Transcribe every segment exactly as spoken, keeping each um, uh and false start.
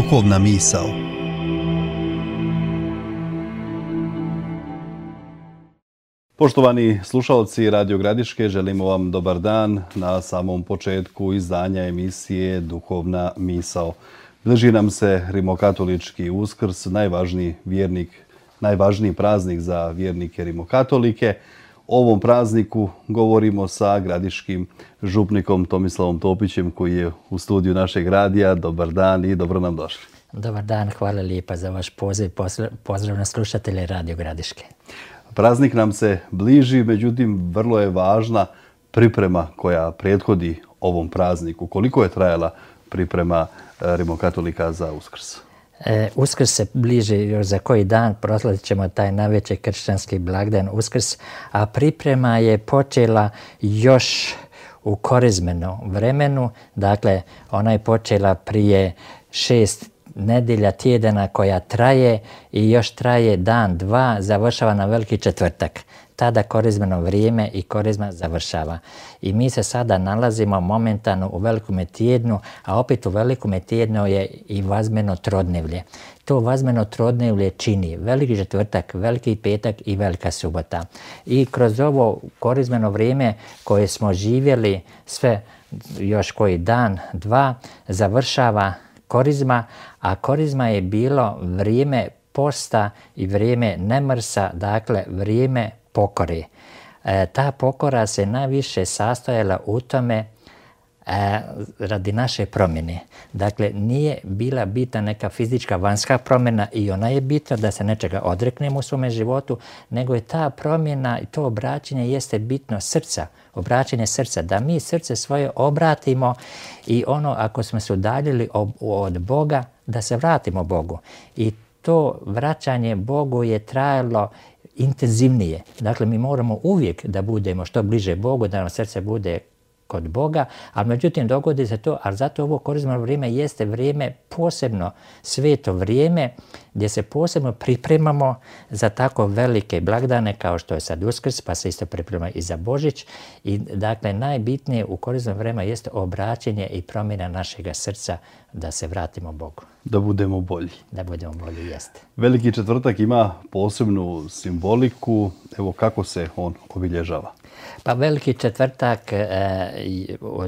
Duhovna misao. Poštovani slušalci Radio Gradiške, želimo vam dobar dan na samom početku izdanja emisije Duhovna misao. Bliži nam se rimokatolički Uskrs, najvažniji vjernik, najvažniji praznik za vjernike rimokatolike. O ovom prazniku govorimo sa gradiškim župnikom Tomislavom Topićem koji je u studiju našeg radija. Dobar dan i dobro nam došli. Dobar dan, hvala lijepa za vaš poziv. Pozdrav na slušatelje Radio Gradiške. Praznik nam se bliži, međutim vrlo je važna priprema koja prethodi ovom prazniku. Koliko je trajala priprema rimokatolika za Uskrs? E, Uskrs se bliži još za koji dan, proslavit ćemo taj najveći kršćanski blagdan Uskrs, a priprema je počela još u korizmenom vremenu, dakle ona je počela prije šest nedjelja, tjedana koja traje i još traje dan, dva, završava na Veliki četvrtak. Tada korizmeno vrijeme i korizma završava. I mi se sada nalazimo momentalno u Velikome tjednu, a opet u Velikome tjednu je i vazmeno trodnevlje. To vazmeno trodnevlje čini Veliki četvrtak, Veliki petak i Velika subota. I kroz ovo korizmeno vrijeme koje smo živjeli sve još koji dan, dva, završava korizma, a korizma je bilo vrijeme posta i vrijeme nemrsa, dakle vrijeme pokore. E, ta pokora se najviše sastojala u tome e, radi naše promjene. Dakle, nije bila bitna neka fizička vanjska promjena i ona je bitna da se nečega odreknemo u svome životu, nego je ta promjena i to obraćanje jeste bitno srca, obraćanje srca, da mi srce svoje obratimo i ono ako smo se udaljili od Boga, da se vratimo Bogu. I to vraćanje Bogu je trajalo intenzivnije. Dakle, mi moramo uvijek da budemo što bliže Bogu, da nam srce bude kod Boga, ali međutim dogodi se to, ali zato ovo korizmeno vrijeme jeste vrijeme posebno sveto vrijeme gdje se posebno pripremamo za tako velike blagdane kao što je sad Uskrs, pa se isto priprema i za Božić. I dakle, najbitnije u korizmeno vrijeme jeste obraćanje i promjena našega srca da se vratimo Bogu. Da budemo bolji. Da budemo bolji, jeste. Veliki četvrtak ima posebnu simboliku. Evo kako se on obilježava? Pa Veliki četvrtak, e,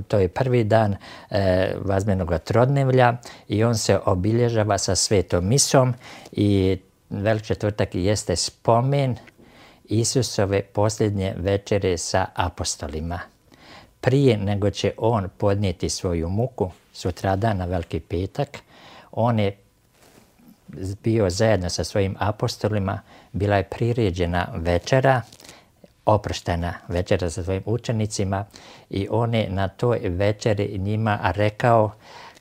to je prvi dan e, vazmenog trodnevlja i on se obilježava sa svetom misom i Veliki četvrtak jeste spomen Isusove posljednje večere sa apostolima. Prije nego će on podnijeti svoju muku, sutradan na Veliki petak, on je bio zajedno sa svojim apostolima, bila je priređena večera, oproštena večera sa svojim učenicima i on je na toj večeri njima rekao,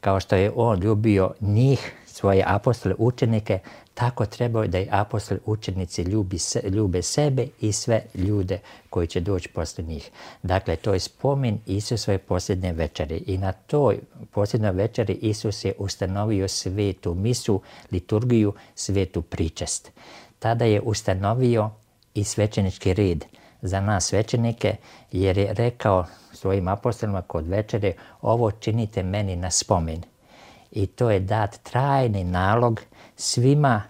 kao što je on ljubio njih, svoje apostole, učenike, tako trebaju da i apostoli, učenici ljubi se, ljube sebe i sve ljude koji će doći poslije njih. Dakle, to je spomen Isusove posljednje večeri i na toj posljednjoj večeri Isus je ustanovio svetu misu, liturgiju, svetu pričest. Tada je ustanovio i svećenički red za nas svećenike, jer je rekao svojim apostolima kod večere, ovo činite meni na spomen. I to je dat trajni nalog svima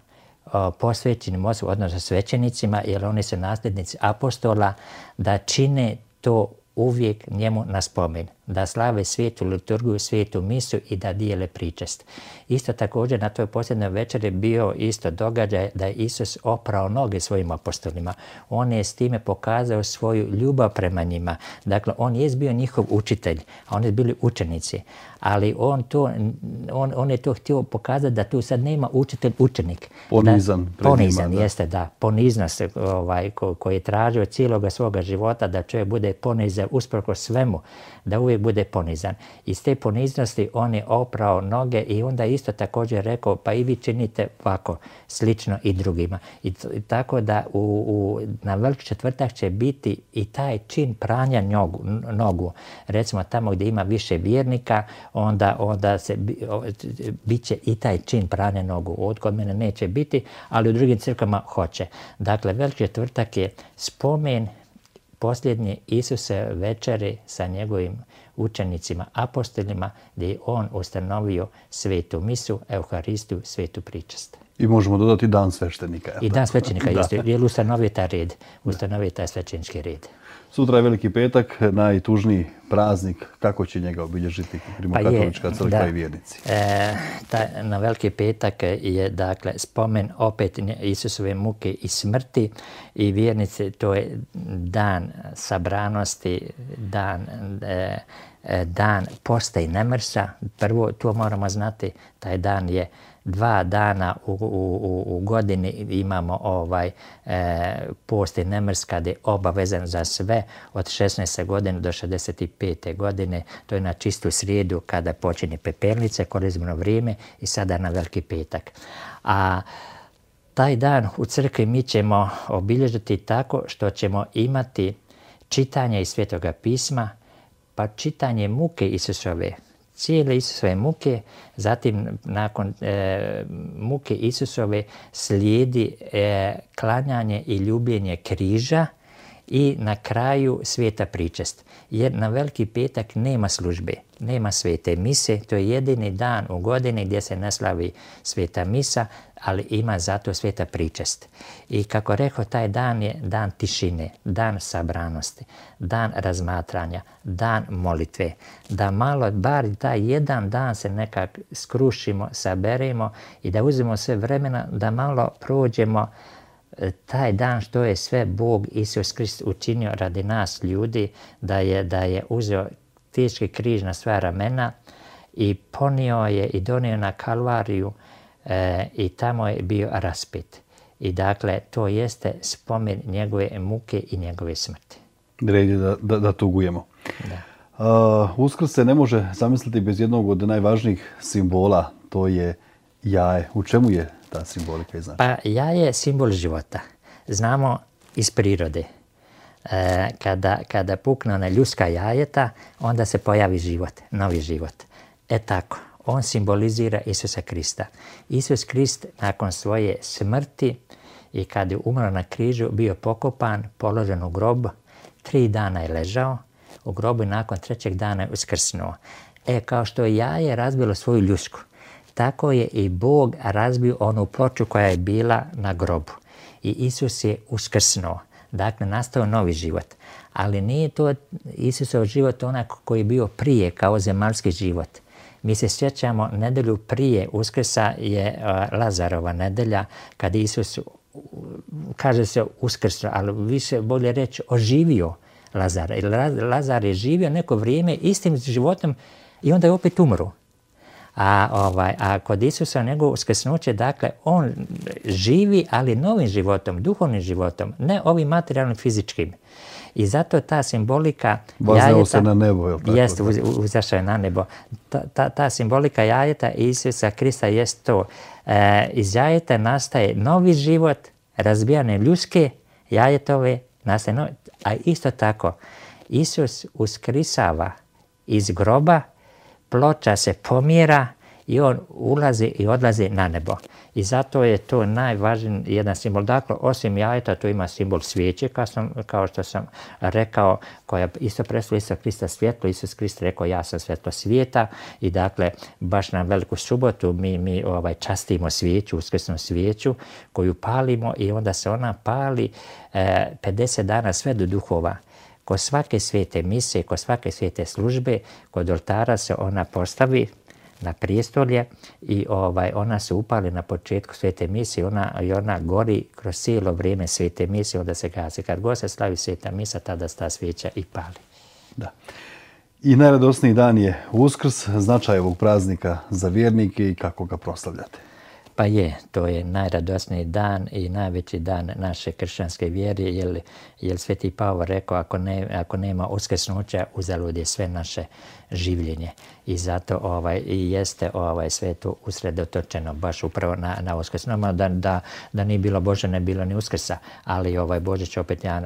o, posvećenim osobama, odnosno svećenicima, jer oni su nasljednici apostola, da čine to uvijek njemu na spomen, da slave svetu liturgiju, svetu misu i da dijele pričest. Isto također na toj posljednjoj večeri bio isto događaj da je Isus oprao noge svojim apostolima. On je s time pokazao svoju ljubav prema njima. Dakle, on je bio njihov učitelj, a oni su bili učenici. Ali on, to, on, on je to htio pokazati da tu sad nema učitelj-učenik. Ponizan. Da, ponizan, njima, jeste, da. Poniznost ovaj, ko, koji je tražio cijeloga svoga života, da čovjek bude ponizan usprkos svemu, da uvijek bude ponizan. Iz te poniznosti on je oprao noge i onda isto također rekao, pa i vi činite ovako, slično i drugima. I, i tako da u, u, na Veliki četvrtak će biti i taj čin pranja nogu, nogu. Recimo tamo gdje ima više vjernika, onda, onda se bit će i taj čin pranja nogu. Od kod mene neće biti, ali u drugim crkvama hoće. Dakle, Veliki četvrtak je spomen posljednje Isuse večeri sa njegovim učenicima, apostolima, gdje je on ustanovio svetu misu, Euharistiju, svetu pričast. I možemo dodati dan sveštenika. I dan sveštenika, jeste, jer ustanovio taj red, ustanovio taj svećenički red. Sutra je Veliki petak, najtužniji praznik. Kako će njega obilježiti Rimokatolička crkva da, i vjernici? E, ta, na Veliki petak je dakle spomen opet Isusove muke i smrti i vjernici, to je dan sabranosti, dan, e, dan posta i nemrsa. Prvo, to moramo znati, taj dan je dva dana u, u, u godini imamo ovaj e, post i nemrs kad je obavezan za sve od šesnaeste godine do šezdeset pete godine. To je na čistu srijedu kada počinje pepelnice, korizmeno vrijeme i sada na Veliki petak. A taj dan u crkvi mi ćemo obilježiti tako što ćemo imati čitanje iz Svetoga pisma, pa čitanje muke Isusove, cijele Isusove muke, zatim nakon e, muke Isusove slijedi e, klanjanje i ljubljenje križa i na kraju sveta pričest. Jer na Veliki petak nema službe, nema svete mise, to je jedini dan u godini gdje se ne slavi sveta misa, ali ima zato sveta pričest. I kako rekao, taj dan je dan tišine, dan sabranosti, dan razmatranja, dan molitve. Da malo, bar taj jedan dan se nekak skrušimo, saberemo i da uzmemo sve vremena da malo prođemo taj dan što je sve Bog Isus Krist učinio radi nas ljudi, da je, da je uzeo teški križ na svoja ramena i ponio je i donio na Kalvariju e, i tamo je bio raspet. I dakle, to jeste spomen njegove muke i njegove smrti. Red je da, da, da tugujemo. Da. Uh, Uskrs se ne može zamisliti bez jednog od najvažnijih simbola, to je jaje. U čemu je ta simbolika i znači? Pa jaje je simbol života. Znamo iz prirode. E, kada, kada pukne ona ljudska jajeta, onda se pojavi život, novi život. E tako, on simbolizira Isusa Krista. Isus Krist nakon svoje smrti i kad je umro na križu, bio pokopan, položen u grob, tri dana je ležao u grobu i nakon trećeg dana je uskrsnuo. E, kao što je jaje razbilo svoju ljusku, tako je i Bog razbio onu ploču koja je bila na grobu. I Isus je uskrsnuo. Dakle, nastao novi život. Ali nije to Isusov život onak koji je bio prije kao zemaljski život. Mi se sjećamo, nedelju prije Uskrsa je Lazarova nedelja, kad Isus, kaže se uskrsnuo, ali više bolje reći oživio Lazara. Lazar je živio neko vrijeme istim životom i onda je opet umro. A, ovaj, a kod Isusa njegovo uskrsnuće, dakle, on živi, ali novim životom, duhovnim životom, ne ovim materijalnim, fizičkim. I zato ta simbolika Vaznao jajeta... se na nebo, je li tako? Jeste, uzašao je na nebo. Ta, ta, ta simbolika jajeta Isusa Krista jest to. E, iz jajeta nastaje novi život, razbijane ljudske jajetove, nastaje novi. A isto tako, Isus uskrisava iz groba, ploča se pomjera i on ulazi i odlazi na nebo. I zato je to najvažniji jedan simbol. Dakle, osim jajeta, to ima simbol svijeće, kao, sam, kao što sam rekao, koja isto predstavlja Isusa Krista svjetlo. Isus Krist rekao, ja sam svjetlo svijeta. I dakle, baš na Veliku subotu mi, mi ovaj, častimo svijeću, uskrsnu svijeću, koju palimo i onda se ona pali eh, pedeset dana sve do duhova. Kod svake svete mise, kod svake svete službe, kod oltara se ona postavi na prijestolje i ovaj, ona se upali na početku svete mise i ona, i ona gori kroz cijelo vrijeme svete mise, onda se gasi. Kad god se slavi sveta misa, tada ta svijeća i pali. Da. I najradosniji dan je Uskrs, značaj ovog praznika za vjernike i kako ga proslavljate. Pa je, to je najradosniji dan i najveći dan naše kršćanske vjere, jer, jer Sveti Pavao rekao, ako, ne, ako nema uskrsnuća, uzalud je sve naše življenje. I zato ovaj, i jeste ovaj, sve to usredotočeno baš upravo na, na Uskrs. Normalno da, da, da nije bilo Bože, ne bilo ni Uskrsa, ali ovaj Božić opet jedan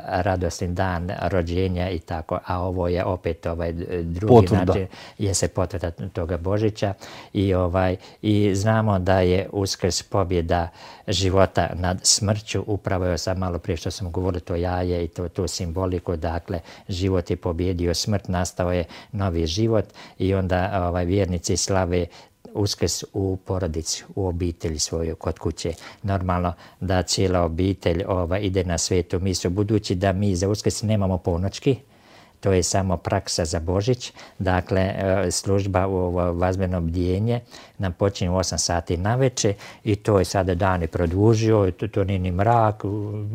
radosni dan rođenja i tako, a ovo je opet ovaj drugi potvrda. način, je se potvrda toga Božića i, ovaj, i znamo da je Uskrs pobjeda života nad smrću. Upravo je sad malo prije što sam govorio to jaje i to, to simboliku, dakle život je pobjedio smrt, nastao je novi život i onda ovaj, vjernici slave Uskrs u porodici, u obitelji svoju, kod kuće. Normalno da cijela obitelj ova, ide na svetu misu, budući da mi za Uskrs nemamo ponoćki, to je samo praksa za Božić. Dakle, služba u vazbeno bdjenje nam počinje u osam sati navečer i to je sada dan i produžio, to, to nije ni mrak,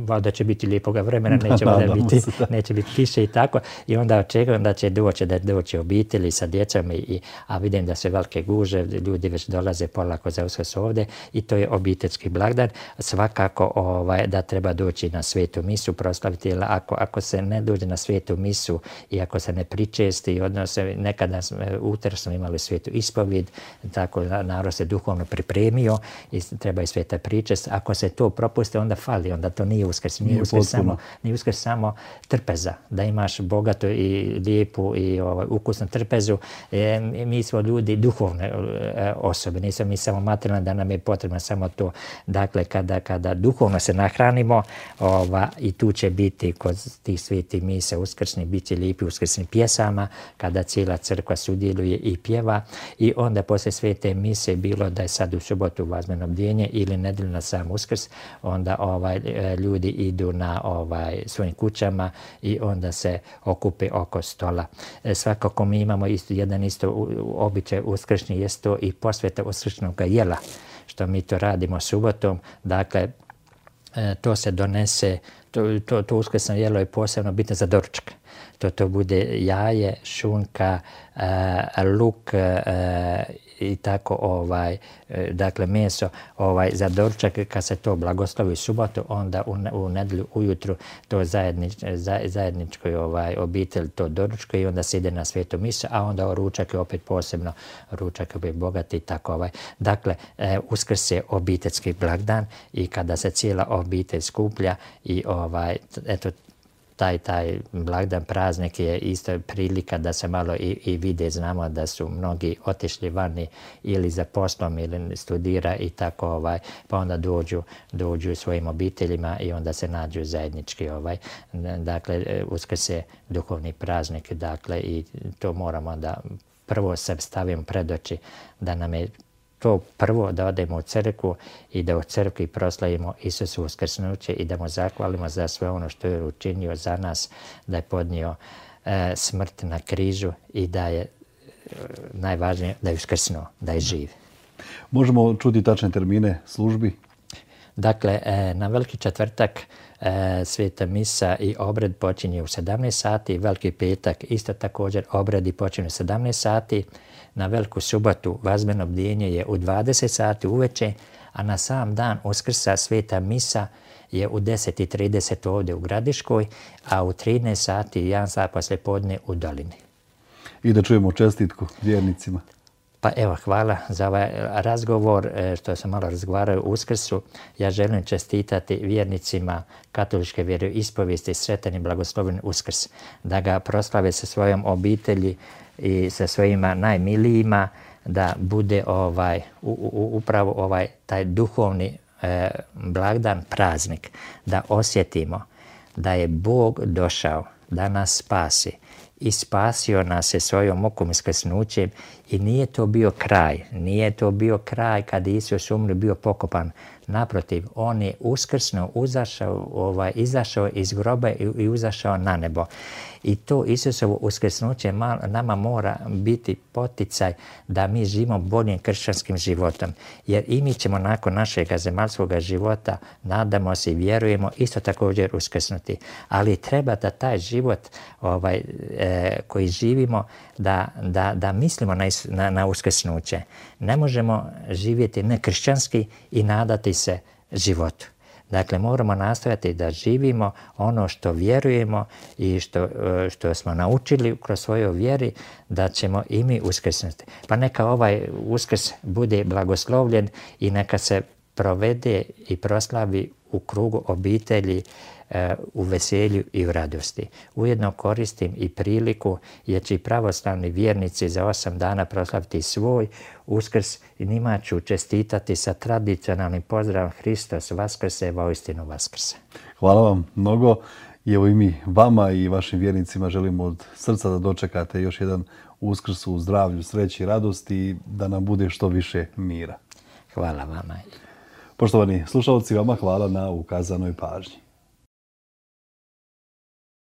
valjda će biti lijepoga vremena, neće, da, biti, neće biti kiše i tako. I onda očekujem da će doći, da doći obitelji sa djecom, i, a vidim da se velike guže, ljudi već dolaze polako za Uskrs ovdje i to je obiteljski blagdan. Svakako ovaj, da treba doći na svetu misu, proslaviti, jer ako, ako se ne dođe na svetu misu, i ako se ne pričesti, odnosno nekada utor smo imali svetu ispovijed, tako narod se duhovno pripremio i treba i sveta pričest. Ako se to propuste, onda fali, onda to nije Uskrs. Nije, nije Uskrs samo, nije Uskrs samo trpeza, da imaš bogatu i lijepu i ovaj, ukusnu trpezu. E, mi smo ljudi duhovne e, osobe, nismo mi samo materijalne, da nam je potrebno samo to. Dakle, kada, kada duhovno se nahranimo, ova, i tu će biti kod tih svetih misa uskrsni, bit će lijepi uskrsnim pjesama, kada cijela crkva sudjeluje i pjeva, i onda poslije svete mise, bilo da je sad u subotu vazbeno bdjenje ili nedjelju na sam Uskrs, onda ovaj, ljudi idu na ovaj, svojim kućama i onda se okupe oko stola. E, svakako mi imamo isto, jedan isto običaj uskršnji, jest to i posveta uskršnjog jela, što mi to radimo subotom. Dakle, e, to se donese, to, to, to uskrsno jelo je posebno bitno za doručak. To, to bude jaje, šunka, uh, luk uh, i tako, ovaj, uh, dakle meso ovaj, za doručak. Kad se to blagoslovi u subotu, onda u, u nedjelju ujutru to zajednič, za, zajedničkoj ovaj, obitelj to doručka i onda se ide na svetu misu, a onda ručak je opet posebno, ručak je bogat i tako. Ovaj. Dakle, uh, Uskrs je obiteljski blagdan i kada se cijela obitelj skuplja i ovaj, eto, Taj, taj blagdan, praznik je isto prilika da se malo i, i vide. Znamo da su mnogi otišli vani ili za poslom ili studira i tako, ovaj, pa onda dođu, dođu svojim obiteljima i onda se nađu zajednički. Ovaj. Dakle, Uskrs je duhovni praznik, dakle, i to moramo da prvo se stavimo pred oči, da nam je to prvo da odemo u crkvu i da u crkvi proslavimo Isusu uskrsnuće i da mu zahvalimo za sve ono što je učinio za nas, da je podnio e, smrt na križu i da je e, najvažnije da je uskrsnuo, da je živ. Možemo čuti tačne termine službi? Dakle, e, na Veliki četvrtak e, sveta misa i obred počinje u sedamnaest sati, Veliki petak isto također obredi počinju u sedamnaest sati, na Veliku subotu vazbeno bdjenje je u dvadeset sati uveče, a na sam dan Uskrsa sveta misa je u deset i trideset ovdje u Gradiškoj, a u trinaest sati i jedan sat poslije podne u Dolini. I da čujemo čestitku vjernicima. Pa evo, hvala za ovaj razgovor, što sam malo razgovarao u Uskrsu. Ja želim čestitati vjernicima katoličke vjeroispovijesti sretan i blagosloven Uskrs, da ga proslave sa svojom obitelji i sa svojima najmilijima, da bude ovaj, u, u, upravo ovaj taj duhovni e, blagdan, praznik, da osjetimo da je Bog došao da nas spasi i spasio nas je svojom mukom uskrsnućem, i nije to bio kraj, nije to bio kraj kad je Isus umro, bio pokopan. Naprotiv, on je uskrsno uzašao, ovaj, izašao iz groba i, i uzašao na nebo. I to Isusovo uskrsnuće nama mora biti poticaj da mi živimo boljim kršćanskim životom. Jer i mi ćemo nakon našeg zemaljskog života, nadamo se i vjerujemo, isto također uskrsnuti. Ali treba da taj život ovaj, e, koji živimo, da, da, da mislimo na, na, na uskrsnuće. Ne možemo živjeti nekršćanski i nadati se životu. Dakle, moramo nastojati da živimo ono što vjerujemo i što, što smo naučili kroz svoju vjeri, da ćemo i mi uskrsnuti. Pa neka ovaj Uskrs bude blagoslovljen i neka se provede i proslavi u krugu obitelji, u veselju i u radosti. Ujedno koristim i priliku jer će i pravoslavni vjernici za osam dana proslaviti svoj Uskrs i njima ću čestitati sa tradicionalnim pozdravom Hristos Vaskrse, voistinu Vaskrse. Hvala vam mnogo i evo i mi vama i vašim vjernicima želimo od srca da dočekate još jedan Uskrs u zdravlju, sreći i radosti i da nam bude što više mira. Hvala vama. Poštovani slušalci, vama hvala na ukazanoj pažnji.